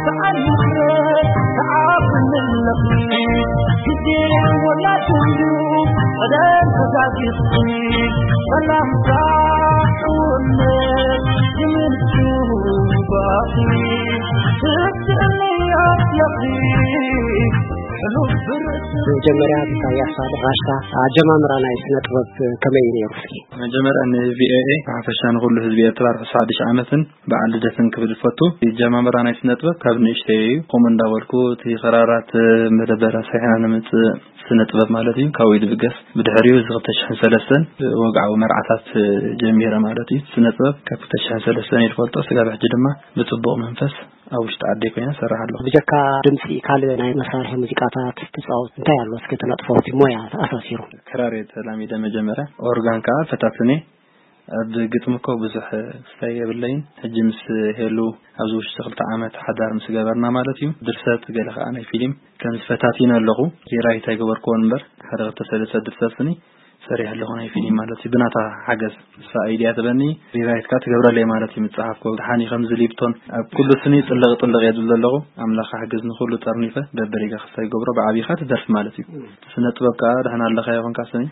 ሰዓት ምሕረት ተዓብንለኺ ግዜ ወላድንዱ ቀደም ተዛጊስኪ ሰላምታ እውነት ይምንቱ ባኺ ትስእኒ ኣለኺ ሕሉፍ ብርእሲ መጀመርያ ብታያ ሳልሕ ራሽታ ኣጀማምራ ናይ ስነ ጥበብ ከመይ እዩ ነይሩ? እስኪ መጀመርያ ን ቪ ኦ ኤ ብሓፈሻ ንኹሉ ህዝቢ ኤርትራ ርሑስ ሓድሽ ዓመትን በዓል ልደትን ክብል ዝፈቱ። ጀማምራ ናይ ስነ ጥበብ ካብ ንእሽተይ እዩ። ከምኡ እንዳበልኩ እቲ ኸራራት መደበራ ሰሒና ንምጽእ ስነ ጥበብ ማለት እዩ ካብኡ እዩ ዝብገስ። ብድሕሪኡ እዚ ክልተ ሽሕን ሰለስተን ወግዓዊ መርዓታት ጀሚረ ማለት እዩ። ስነ ጥበብ ካብ ክልተ ሽሕን ሰለስተን እዩ ዝፈልጦ። ስጋብ ሕጂ ድማ ብጽቡቕ መንፈስ ኣብ ውሽጢ ዓደይ ኮይነ እሰርሕ ኣለኹ። ብጀካ ድምፂ ካልእ ናይ መሳርሒ ሙዚቃታት ትፃወት እንታይ ኣሎ? እስኪ ትነጥፎ እቲ ሞያ ተኣሳሲሩ። ክራር እየ ተላሚደ መጀመርያ፣ ኦርጋን ከዓ ፈታትኔ። ኣብ ግጥሚ እኮ ብዙሕ ክስታይ የብለይን። ሕጂ ምስ ሄሉ ኣብዚ ውሽጢ ክልተ ዓመት ሓዳር ምስ ገበርና ማለት እዩ። ድርሰት ገለ ከዓ ናይ ፊልም ከም ዝፈታቲነ ኣለኹ። ሪራይት ኣይገበርክዎን እምበር ሓደ ክልተ ሰለስተ ድርሰት ስኒ ሰሪሕ ኣለኹ ናይ ፊልም ማለት እዩ። ብናታ ሓገዝ እሳ ኣይድያ ትበኒ ሪራይትካ ትገብረለይ ማለት እዩ። ምፅሓፍኮ ድሓኒ ከምዚ ሊፕቶን ኣብ ኩሉ ስኒ ጥልቕ ጥልቕ እየ ዝብል ዘለኹ። ኣምላኽ ሓገዝ ንኩሉ ጠርኒፈ በበሪጋ ክስታይ ገብሮ ብዓብኻ ትደርፍ ማለት እዩ። ስነ ጥበብ ከዓ ድሕና ኣለኻ ይኹንካ ስኒ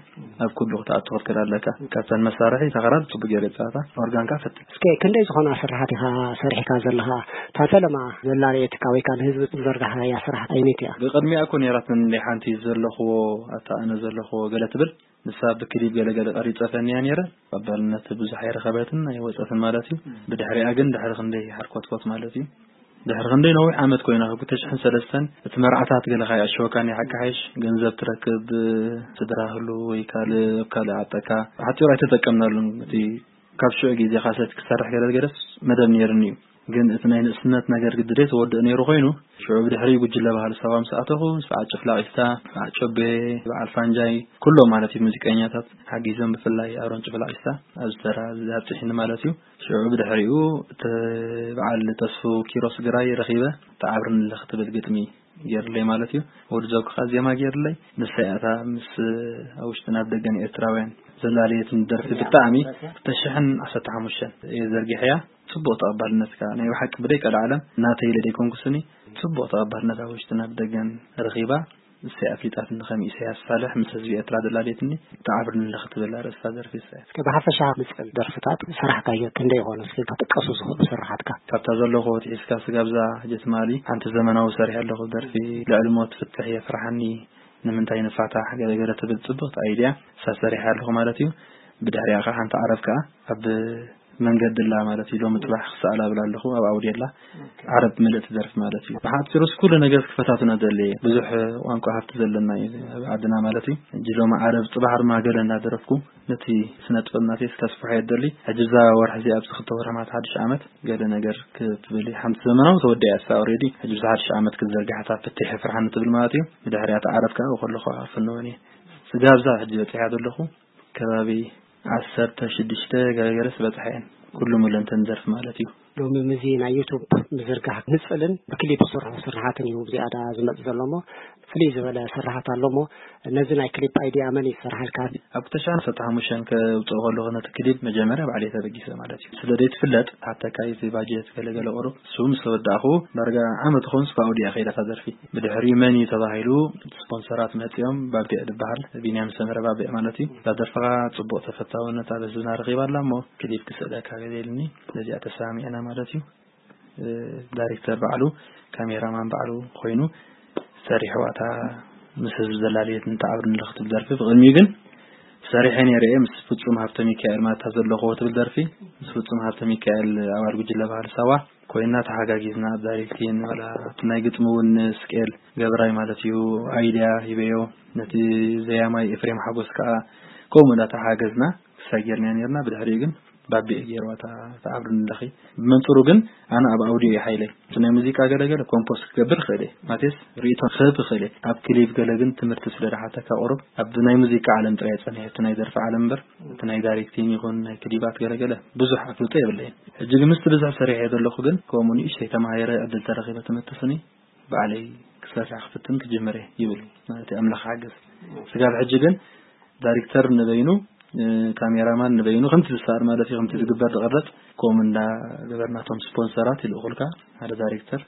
ኣብ ኩሉ ክትኣቱ ክትክእል ኣለካ። ካብተን መሳርሒ ተኸራር ጽቡቅ ገይረ ጸዋታ ኦርጋንካ ፈት እስከ ክንደይ ዝኾና ስራሓት ኢኻ ሰሪሕካ ዘለኻ? እታ ፈለማ ዘላለየትካ ወይ ከዓ ንህዝቢ ዘርጋሕካያ ስራሕ ኣይነት እያ? ብቕድሚኣ እኮ ነይራትኒ እንደ ሓንቲ ዘለኽዎ ኣታ ኣነ ዘለኽዎ ገለ ትብል ንሳ ብክሊፕ ገለገለ ቀሪጸ ፈንያ ነይረ። ተቐባልነት ብዙሕ ኣይረኸበትን ኣይወጸትን ማለት እዩ። ብድሕሪኣ ግን ድሕሪ ክንደይ ሓርኮትኮት ማለት እዩ ድሕሪ ክንደይ ነዊሕ ዓመት ኮይና ካብ ክልተ ሽሕን ሰለስተን እቲ መርዓታት ገለ ካይ ኣሸወካኒ ሓቂ ሓይሽ ገንዘብ ትረክብ ስድራ ህሉ ወይ ካልእ ኣብ ካልእ ዓጠካ ሓፂሩ ኣይተጠቀምናሉን። እቲ ካብ ሽዑ ግዜ ካሰት ክሰርሕ ገለ ገለስ መደብ ነይርኒ እዩ። ግን እቲ ናይ ንእስነት ነገር ግድደ ተወድእ ነይሩ ኮይኑ ሽዑ ብድሕሪ ጉጅለ ባህሊ ሳዋ ምስ ኣተኹ ስብዓት ጭፍላቂስታ፣ ስብዓት ጨቤ፣ በዓል ፋንጃይ ኩሎም ማለት እዩ ሙዚቀኛታት ሓጊዞም ብፍላይ ኣሮን ጭፍላቂስታ ኣብዚ ተራ ኣብዚ ኣብፅሒኒ ማለት እዩ። ሽዑ ብድሕሪኡ እቲ በዓል ተስፉ ኪሮስ ግራይ ረኺበ ተዓብርኒ ኣለኺ ትብል ግጥሚ ገይርለይ ማለት እዩ። ወዲ ዘውክኻ ዜማ ገይርለይ ንሳ እያ እታ ምስ ኣብ ውሽጥን ኣብ ደገን ኤርትራውያን ዘላለየትን ደርፊ ብጣዕሚ ክልተ ሽሕን ዓሰርተ ሓሙሽተን እየ ዘርጊሐያ። ጽቡቕ ተቐባልነት ከኣ ናይ ብሓቂ ብደይ ቀልዓለም ናተይ ኢለ ደይኮንኩ ስኒ ጽቡቕ ተቐባልነት ኣብ ውሽጥን ኣብ ደገን ረኺባ። ንሰይ ኣፍሊጣትኒ ከም ኢሳያስ ሳልሕ ምስ ህዝቢ ኤርትራ ዘላለየትኒ ተዓብርኒ ኣለኺ ትብል ኣርእስታ ደርፊ ንሳ እያ። እስከ ብሓፈሻ ምጽል ደርፍታት ሰራሕካዮ ክንደይ ይኾኑ እስኪ ክጥቀሱ ዝኽእሉ ስራሓትካ? ካብታ ዘለኹ ወትሒዝካ ስጋብዛ ሕጂ ትማሊ ሓንቲ ዘመናዊ ሰሪሐ ኣለኹ ደርፊ ልዕሊ ሞት ፍትሕ የፍርሓኒ ንምንታይ ንፋታሕ ገለገለ ትብል ጽብቕቲ ኣይድያ እሳ ሰሪሐ ኣለኹ ማለት እዩ። ብድሕሪኣ ከዓ ሓንቲ ዓረብ ከዓ ኣብ መንገዲ ኣላ ማለት እዩ። ሎሚ ጽባሕ ክሰኣላ እብል ኣለኹ ኣብ ኣውድዮ ኣላ። ዓረብ ምልእቲ ደርፊ ማለት እዩ። ብሓጺሩስ ኩሉ ነገር ክፈታትኖ ደሊ ብዙሕ ቋንቋ ሃብቲ ዘለና እዩ ኣብ ዓድና ማለት እዩ። ሕጂ ሎሚ ዓረብ ጽባሕ ድማ ገለ እናደረፍኩ ነቲ ስነ ጥበብ ናተይ ስከስፍሖ እየ ደሊ። ሕጂ እዛ ወርሒ እዚኣ ኣብዚ ክልተ ወርሒ ማለት ሓድሽ ዓመት ገለ ነገር ክትብል ሓንቲ ዘመናዊ ተወዲኣ እሳ ኦሬዲ ሕጂ ብዛ ሓድሽ ዓመት ክትዘርግሓታ ፍትሕ ፍርሓኒ ትብል ማለት እዩ። ብድሕሪኣ ተዓረብ ከዓ ከለኹ ኣፍንወን እየ። ስጋብዛ ሕጂ በፂሓ ዘለኹ ከባቢ ዓሰርተ ሽዱሽተ ገረገረስ በፅሐ እየን ኩሉ ሙለንተን ዘርፍ ማለት እዩ። ሎሚ ምዚ ናይ ዩቱብ ምዝርጋሕ ንፅልን ብክሊፕ ዝስርሑ ስርሓትን እዩ ዝያዳ ዝመፅ ዘሎ እሞ ፍልይ ዝበለ ስርሓት ኣሎ እሞ ነዚ ናይ ክሊፕ ኣይዲያ መን ይሰርሓልካ? ኣብ ክልተ ሽሕን ዓሰርተ ሓሙሽተን ከውፅኦ ከለኹ ነቲ ክሊፕ መጀመርያ ባዕለይ ተበጊሰ ማለት እዩ። ስለ ዘይትፍለጥ ሓተካ እቲ ባጀት ገለገለ ቁሩብ እሱ ምስ ተወዳእኹ ዳርጋ ዓመት ኾን ስፋ ኣውዲያ ከይዳ እታ ደርፊ። ብድሕሪኡ መን እዩ ተባሂሉ ስፖንሰራት መፂኦም ባቢዕ ዝበሃል ቢንያም ሰመረ ባቢዕ ማለት እዩ። እዛ ደርፍኻ ፅቡቕ ተፈታውነት ኣብ ህዝብና ረኺባ ኣላ እሞ ክሊፕ ክስእለካ ገለ ኢልኒ በዚኣ ተሰማሚዕና ማለት እዩ። ዳይሬክተር ባዕሉ ካሜራማን ባዕሉ ኮይኑ ሰሪሕዋ እታ ምስ ህዝቢ ዘላለየት ንተዓብር ንለኽ ትብል ደርፊ ብቕድሚኡ ግን ሰሪሐ ነይረ እየ ምስ ፍጹም ሃብተ ሚካኤል ማለት እታ ዘለኽዎ ትብል ደርፊ ምስ ፍጹም ሃብተ ሚካኤል ኣባል ጉጅለ ባህሊ ሳዋ ኮይና ተሓጋጊዝና ኣብ ዳይሬክቲን ዋላ እቲ ናይ ግጥሚ እውን ስቄል ገብራይ ማለት እዩ ኣይድያ ሂበዮ ነቲ ዘያማይ ኤፍሬም ሓጎስ ከዓ ከምኡ እንዳተሓገዝና ክሳይ ጌርና ነርና ብድሕሪኡ ግን ባቢዕ ገይርዋ እታ ተዓብርኒ ኣለኺ። ብመንጽሩ ግን ኣነ ኣብ ኣውዲዮ እየ ሓይለይ። እቲ ናይ ሙዚቃ ገለገለ ኮምፖስ ክገብር እኽእል እየ። ማለትስ ርእይቶ ክህብ እኽእል እየ። ኣብ ክሊፕ ገለ ግን ትምህርቲ ስለ ዝሓተካ ቁሩብ ኣብ ናይ ሙዚቃ ዓለም ጥራይ እየ ጸኒሐ። እቲ ናይ ደርፊ ዓለም እምበር እቲ ናይ ዳይሬክቲንግ ይኹን ናይ ክሊባት ገለገለ ብዙሕ ኣፍልጦ የብለይን። ሕጂ ግን ምስቲ ብዝሕ ሰሪሐ ዘለኹ ግን ከምኡ ንእሽተይ ተማሂረ ዕድል ተረኺበ ትምህርቲ ስኒ ባዕለይ ክሰርሕ ክፍትን ክጅምር እየ ይብል ማለት እዩ። ኣምላኽ ሓገዝ። ስጋብ ሕጂ ግን ዳይሬክተር ንበይኑ ካሜራማን ንበይኑ ከምቲ ዝሰኣል ማለት እዩ ከምቲ ዝግበር ዝቐረጽ ከምኡ እንዳገበርናቶም ስፖንሰራት ይልእኹልካ። ሓደ ዳይሬክተር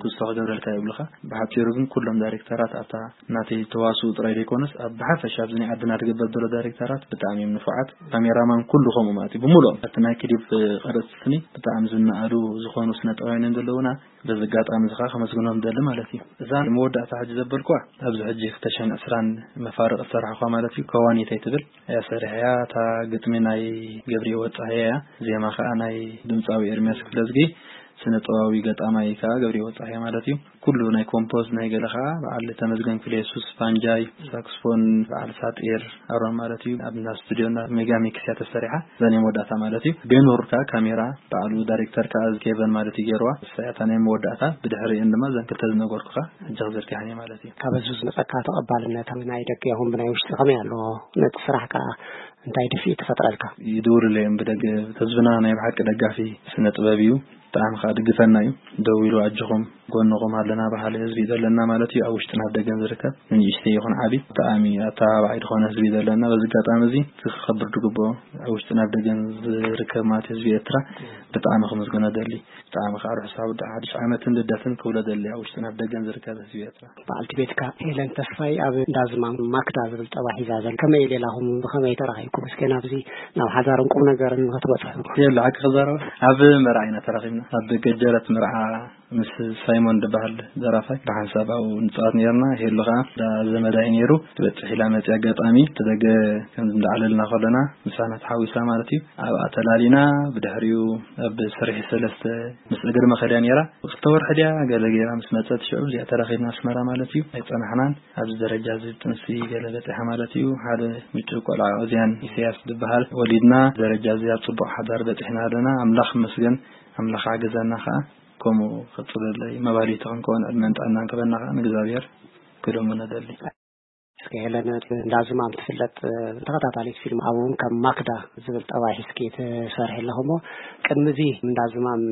ክስቶ ክገብረልካ ይብልኻ። ብሓፂሩ ግን ኩሎም ዳይሬክተራት ኣብታ ናተይ ተዋስኡ ጥራይ ዘይኮነስ ኣብ ብሓፈሻ ኣብዚ ናይ ዓድና ዝግበር ዘሎ ዳይሬክተራት ብጣዕሚ እዮም ንፉዓት። ካሜራማን ኩሉ ከምኡ ማለት እዩ። ብምሉኦም ኣብቲ ናይ ክሊፕ ቀረፅቲ ስኒ ብጣዕሚ ዝነኣዱ ዝኾኑ ስነ ጥበባውያን ዘለውና በዚ ኣጋጣሚ እዚ ከዓ ከመስግኖም ደሊ ማለት እዩ። እዛ መወዳእታ ሕጂ ዘበልኩዋ ኣብዚ ሕጂ ክልተ ሽሕን ዕስራን መፋርቕ ዝሰራሕኳ ማለት እዩ። ከዋኒተይ ትብል እያ ሰሪሐያ። እታ ግጥሚ ናይ ገብርኤ ወጻየ እያ። ዜማ ከዓ ናይ ድምፃዊ ኤርሚያስ ክፍለዝጊ፣ ስነ ጥበባዊ ገጣማይ ከዓ ገብርኤ ወጻየ ማለት እዩ። ኩሉ ናይ ኮምፖዝ ናይ ገለ ከዓ በዓል ተመስገን ክፍለ የሱስ፣ ፋንጃይ፣ ሳክስፎን፣ በዓል ሳጢር ኣሮን ማለት እዩ። ኣብ እንዳ ስቱዲዮ እንዳ ሜጋ ሚክስ እያ ተሰሪሓ። እዛ ናይ መወዳእታ ማለት እዩ። ገኑር ከዓ ካሜራ በዓሉ ዳይሬክተር ከዓ ኬቨን ማለት እዩ ገይርዋ። እሳ እያ እታ ናይ መወዳእታ። ብድሕሪእን ድማ እዘን ክልተ ዝነገርኩኻ ሕጂ ክዝርግሐን እየ ማለት እዩ። ካብ ህዝቢ ዝመጸካ ተቐባልነት፣ ናይ ደገ ይኹን ብናይ ውሽጢ ከመይ ኣሎ? ነቲ ስራሕ ከኣ እንታይ ድፍኢት ትፈጥረልካ? ይድውሉለይ እዮም ብደገ። ህዝብና ናይ ብሓቂ ደጋፊ ስነ ጥበብ እዩ። ብጣዕሚ ከኣ ድግፈና እዩ። ደዊሉ ኣጆኹም ጎንኹም ኣለና በሃሊ ህዝቢ እዩ ዘለና ማለት እዩ። ኣብ ውሽጥን ኣብ ደገን ዝርከብ ንንእሽተይ ይኹን ዓቢ ብጣዕሚ ኣተባባዒ ዝኾነ ህዝቢ እዩ ዘለና። በዚ ኣጋጣሚ እዚ ክኸብር ድግብኦ ኣብ ውሽጥን ኣብ ደገን ዝርከብ ማለት ህዝቢ ኤርትራ ብጣዕሚ ክምስግኖ ደሊ። ብጣዕሚ ከኣ ርሑስ ኣውደ ሓድሽ ዓመትን ልደትን ክብሎ ደሊ ኣብ ውሽጥን ኣብ ደገን ዝርከብ ህዝቢ ኤርትራ። በዓልቲ ቤትካ ሄለን ተስፋይ ኣብ እንዳ ዝማም ማክዳ ዝብል ጠባ ሒዛ ዘላ። ከመይ ሌላኹም ብኸመይ ተራኺብኩም? እስከ ናብዚ ናብ ሓዳርን ቁም ነገርን ክትበጽሑ። የለ ሓቂ ክዛረብ ኣብ መርዓ ኢና ተራኺብና። ኣብ ገጀረት መርዓ ምስ ሳይሞን ዝበሃል ደራፋይ ብሓንሳብ ኣብኡ ንጻወት ነይርና። ሄሉ ከኣ እንዳ ዘመዳ እዩ ነይሩ። ትበጽሕ ኢላ መጺኣ ኣጋጣሚ እቲ ደገ ከም እንዳዕለልና ከለና ምሳና ተሓዊሳ ማለት እዩ። ኣብኣ ተላሊና ብድሕሪኡ ኣብ ስርሒ ሰለስተ ምስ እግሪ መኸድያ ነይራ። ክልተ ወርሒ ድያ ገለ ገይራ ምስ መጸት ሽዑ እዚኣ ተራኺብና ኣስመራ ማለት እዩ። ኣይጸናሕናን። ኣብዚ ደረጃ እዚ ጥንሲ ገለ በጺሓ ማለት እዩ። ሓደ ምጭው ቆልዓ ኦዝያን ኢሳያስ ዝበሃል ወሊድና። ደረጃ እዚ ኣብ ጽቡቕ ሓዳር በጺሕና ኣለና። ኣምላኽ ይመስገን። ኣምላኽ ሓገዘና ከኣ። ከምኡ ቀጽለለይ። መባሊቲ ክንከውን ዕድመን ጥዕናን ክበና ከኣ ንእግዚኣብሔር ክልምኖ ደሊ። እስከ ሄለን፣ እንዳ ዝማም ትፍለጥ ተኸታታሊት ፊልም፣ ኣብኡ እውን ከም ማክዳ ዝብል ጠባይ ሒዝኪ ትሰርሒ ኣለኹ እሞ፣ ቅድሚ እዚ እንዳ ዝማም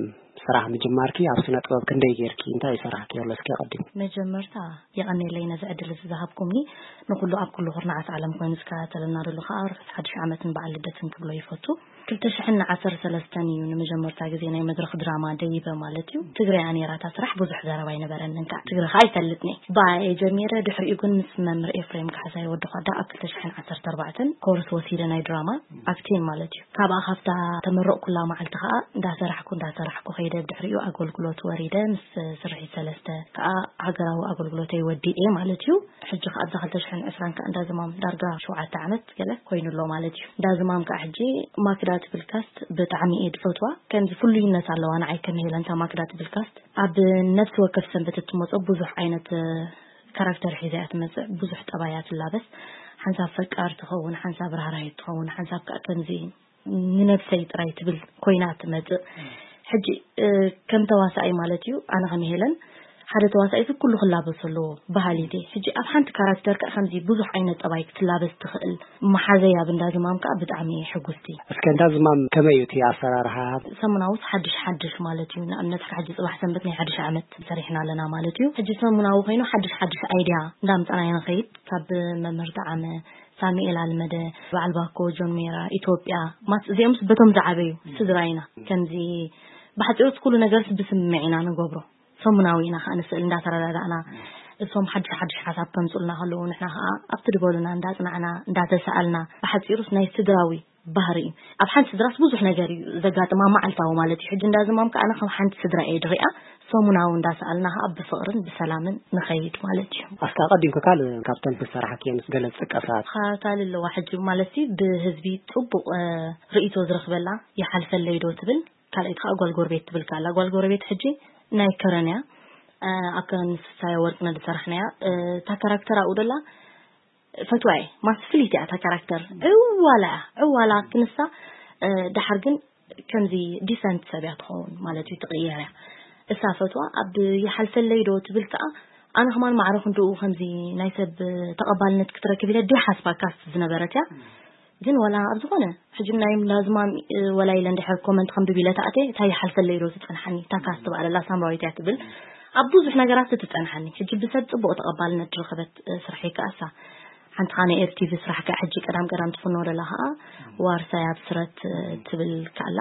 ስራሕ ምጅማርኪ ኣብ ስነ ጥበብ ክንደይ ጌርኪ፣ እንታይ ይሰርሓኪ ኣሎ? እስከ ቀዲም። መጀመርታ የቐኔለይ ነዚ ዕድል እዚ ዝሃብኩምኒ። ንኹሉ ኣብ ኩሉ ኩርናዓት ዓለም ኮይኑ ዝከታተለና ዘሎ ከኣ ርሑስ ሓድሽ ዓመትን በዓል ልደትን ክብሎ ይፈቱ። ክልተ ሽሕን ዓሰርተ ሰለስተን እዩ ንመጀመርታ ግዜ ናይ መድረኽ ድራማ ደይበ ማለት እዩ። ትግረ እያ ነይራ እታ ስራሕ፣ ብዙሕ ዘረባ ኣይነበረንን ከዓ። ትግረ ከዓ ኣይፈልጥን እየ። ብኣ እየ ጀሚረ። ድሕሪኡ ግን ምስ መምህር ኤፍሬም ካሕሳይ ወዲ ኳዳ ኣብ ክልተ ሽሕን ዓሰርተ ኣርባዕተን ኮርስ ወሲደ ናይ ድራማ ኣክቲንግ ማለት እዩ። ካብኣ ካብታ ተመረቕኩላ መዓልቲ ከዓ እንዳሰራሕኩ እንዳሰራሕኩ ከይደ። ብድሕሪኡ ኣገልግሎት ወሪደ። ምስ ስርሒት ሰለስተ ከዓ ሃገራዊ ኣገልግሎተይ ወዲኤ ማለት እዩ። ሕጂ ከኣ ኣብዛ ክልተ ሽሕን ዕስራን ከኣ እንዳ ዝማም ዳርጋ ሸውዓተ ዓመት ገለ ኮይኑ ኣሎ ማለት እዩ። እንዳ ዝማም ከኣ ሕጂ ማክዳ ትብል ካስት ብጣዕሚ እየ ዝፈትዋ። ከምዚ ፍሉይነት ኣለዋ ንዓይ ከም ሄለን እታ ማክዳ ትብል ካስት። ኣብ ነፍሲ ወከፍ ሰንበት እትመጾ ብዙሕ ዓይነት፣ እ፣ ካራክተር ሒዛ እያ ትመጽእ። ብዙሕ ጠባይ እያ ትላበስ። ሓንሳብ ፈቃር ትኸውን፣ ሓንሳብ ራህራሂት ትኸውን፣ ሓንሳብ ከኣ ከምዚ ንነብሰይ ጥራይ ትብል ኮይና ትመጽእ። ሕጂ፣ እ፣ ከም ተዋሳኣይ ማለት እዩ፣ ኣነ ከም ሄለን ሓደ ተዋሳኣይ እዚ ኩሉ ክላበሶ ኣለዎ በሃሊት እየ። ሕጂ ኣብ ሓንቲ ካራክተር ከኣ ከምዚ ብዙሕ ዓይነት ጠባይ ክትላበስ ትኽእል መሓዘይ ኣብ እንዳ ዝማም ከኣ ብጣዕሚ እየ ሕጉስቲ። እስከ እንዳ ዝማም ከመይ እዩ እቲ ኣሰራርሓ? ሰሙናዊስ ሓድሽ ሓድሽ ማለት እዩ። ንኣብነት ሕጂ ጽባሕ ሰንበት ናይ ሓድሽ ዓመት ሰሪሕና ኣለና ማለት እዩ። ሕጂ ሰሙናዊ ኮይኑ ሓድሽ ሓድሽ ኣይድያ እንዳምጻና ኢና ንኸይድ። ካብ መምህር ጠዓመ፣ ሳሙኤል ኣልመደ፣ በዓል ባኮ፣ ጆን ሜራ፣ ኢትዮጵያ፣ ማስ-፣ እዚኦምስ በቶም ዝዓበዩ ስድራ ኢና። ከምዚ ብሓጺሩስ ኩሉ ነገርስ ብስምምዕ ኢና ንገብሮ። ሰሙናዊ ኢና ከኣ ንስእል እንዳተረዳዳእና። እሶም ሓድሽ ሓድሽ ሓሳብ ከምጹልና ከለዉ ንሕና ከኣ ኣብቲ ዝበሉና እንዳጽናዕና፣ እንዳተሳኣልና፣ ብሓጺሩስ ናይ ስድራዊ ባህሪ እዩ። ኣብ ሓንቲ ስድራስ ብዙሕ ነገር እዩ ዘጋጥማ መዓልታዊ ማለት እዩ። ሕጂ እንዳ ዝማም ከኣ ኣነ ከም ሓንቲ ስድራ እየ ድሪኣ። ሰሙናዊ እንዳሰኣልና ከኣ ብፍቕርን ብሰላምን ንኸይድ ማለት እዩ። ኣስካ ቀዲምካ ካልእ ካብተን ዝሰራሕክየን ገለ ዝጥቀሳ? ካ-፣ ካልእ ኣለዋ ሕጂ ማለት እዩ ብህዝቢ ጽቡቕ፣ እ፣ ርእይቶ ዝረኽበላ ይሓልፈለይ ዶ ትብል፣ ካልኣይቲ ከኣ ጓል ጎረቤት ትብል ከኣ ኣላ። ጓል ጎረቤት ሕጂ ናይ ከረን እያ። እ፣ ኣብ ከረን ምስ ሳያ ወርቅነህ ዝሰራሕናያ፣ እ፣ እታ ካራክተር ኣብኡ ደላ ፈትዋ እየ። ማስ ፍልይቲ እያ እታ ካራክተር። ዕዋላ እያ። ዕዋላ ክንሳ፣ እ፣ ደሓር ግን ከምዚ ዲሰንት ሰብ እያ ትኸውን ማለት እዩ፣ ትቕየር እያ። እሳ ፈትዋ ኣብ ይሓልፈለይ ዶ ትብል ከኣ፣ ኣነ ከማን ማዕረ ክንድኡ ከምዚ ናይ ሰብ ተቐባልነት ክትረክብ ኢለ ድየ ሓስባ ካስት ዝነበረት እያ። ግን ዋላ ኣብ ዝኾነ ሕጂ ናይ ላዝማም፣ እ፣ ወላ ኢለ እንድሕር ኮመንት ከንብብ ኢለ ተኣትየ፣ እታ ይሓልፈለይ ዶ ትጸንሓኒ፣ እታ ካስት በኣለላ ሳምራዊት እያ ትብል። ኣብ ብዙሕ ነገራት ትጸንሓኒ። ሕጂ ብሰብ ጽቡቕ ተቐባልነት ዝረኸበት፣ እ፣ ስርሐይ ከኣ እሳ። ሓንቲ ኻነ ኤር ቲ ቪ ስራሕ ከኣ ሕጂ ቀዳም ቀዳም ትፍኖ ደላ ኸኣ ዋርሳይ ኣብ ስረት፣ እ፣ ትብል ከኣላ።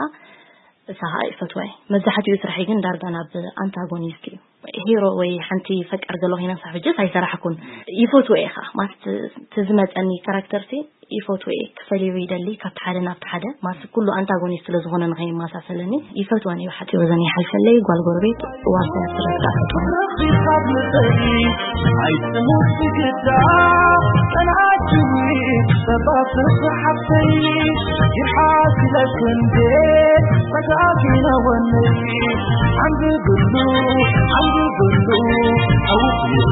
እሳ ኸዓ ይፈትዋ እየ። መብዛሕትኡ ስራሐይ ግን ዳርጋ ናብ ኣንታጎኒስት እዩ። ሂሮ ወይ ሓንቲ ፈቃር ዘሎ ኮይነ ክሳብ ሕጅስ ኣይሰራሕኩን። ይፈትዎ እየ ኸዓ። ማለት እቲ ዝመፀኒ ካራክተር ሲ ይፈትዎ እየ። ክፈልዮ ይደሊ ካብቲ ሓደ ናብቲ ሓደ። ማለት ኩሉ ኣንታጎኒስት ስለ ዝኾነ ንኸይመሳሰለኒ ይፈትወን እየ። ሓፂሮ ዘን ይሓልፈለይ፣ ጓል ጎረቤት፣ ዋርሳይ፣ ኣስረዳ። ኣይትሙት ግዳ ጸንዓትዊ ሰባትርፊ ሓፍተይ ይሓግለክ እንዴ ተጋጊነ ወነይ ዓንብብሉ ዓንብብሉ ኣውፍዮ